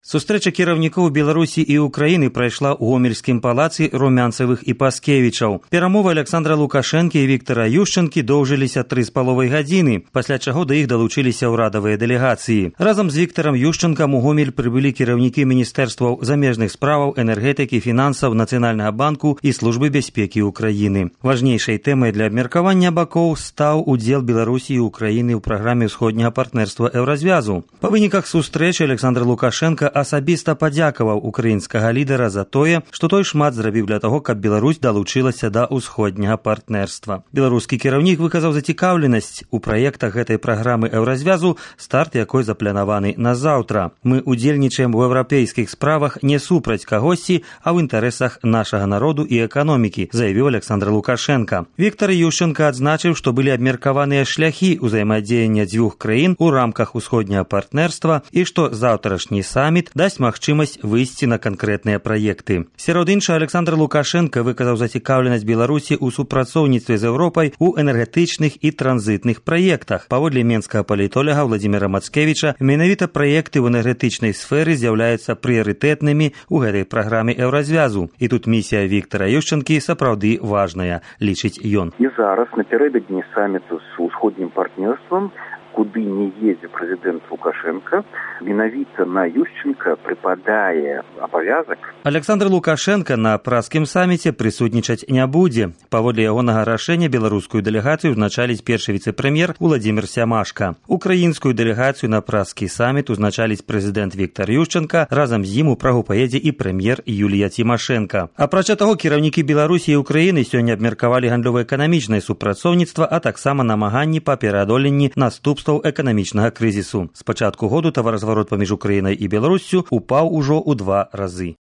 Сустрэча кіраўнікоў Беларусі і Украіны прайшла ў гомельскім палацы Румянцевых і Паскевічаў. Перамовы Александра Лукашэнкі і Віктара Ющэнкі доўжыліся 3,5 гадзіны, пасля чаго да іх далучыліся ўрадавыя дэлегацыі. Разам з Віктарам Ющэнкам у Гомель прыбылі кіраўнікі міністэрстваў замежных справаў, энергетыкі, фінансаў, Нацыянальнага банку і службы бяспекі Украіны. Важнейшай тэмай для абмеркавання бакоў стаў удзел Беларусі і Украіны ў праграме ўсходняга партнерства Еўразвязу. Па выніках сустрэчы Александр Лукашенко асабіста падзякаваў украінскага лідара за тое, што той шмат зрабіў для таго, каб Беларусь далучылася да ўсходняга партнерства. Беларускі кіраўнік выказаў зацікаўленасць у праектах гэтай праграмы Еўразвязу, старт якой запланаваны на заўтра. Мы удзельнічаем у еўрапейскіх справах не супраць кагосьці, а ў інтарэсах нашага народу і эканомікі, заявіў Александр Лукашенко. Віктар Ющэнка адзначыў, што былі абмеркаваныя шляхі ўзаемадзеяння дзвюх краін у рамках усходняга партнерства і што заўтрашні саміт дасць магчымасць выйсці на канкрэтныя праекты. Сярод іншага, Александр Лукашенко выказаў зацікаўленасць Беларусі ў супрацоўніцтве з Еўропай у энергетычных і транзітных праектах. Паводле менскага палітолага Владзіміра Мацкевіча, менавіта праекты ў энергетычнай сферы з'яўляюцца прыярытэтнымі ў гэтай праграме Еўразвязу. І тут місія Віктара Ющэнкі сапраўды важная, лічыць ён. І зараз напярэдадні саміту з усходнім партнерствам, куды не едзе прэзідэнт Лукашенко, менавіта на Ющэнка прыпадае абавязак. Александр Лукашенко на праскім саміце прысутнічаць не будзе. Паводле ягонага рашэння беларускую дэлегацыю узначаліць першы віцэ-прэм'ер Уладзімір Сямашка. Украінскую дэлегацыю на праскі саміт узначаліць прэзідэнт Віктар Ющэнка, разам з ім у Прагу паедзе і прэм'ер Юлія Цімашэнка. Апрача таго, кіраўнікі Беларусі і Украіны сёння абмеркавалі гандлёва-эканамічнае супрацоўніцтва, а таксама намаганні па пераадоленні наступстваў эканамічнага крызісу. З пачатку году таваразварот паміж Украінай і Беларуссю упаў ужо ў 2 разы.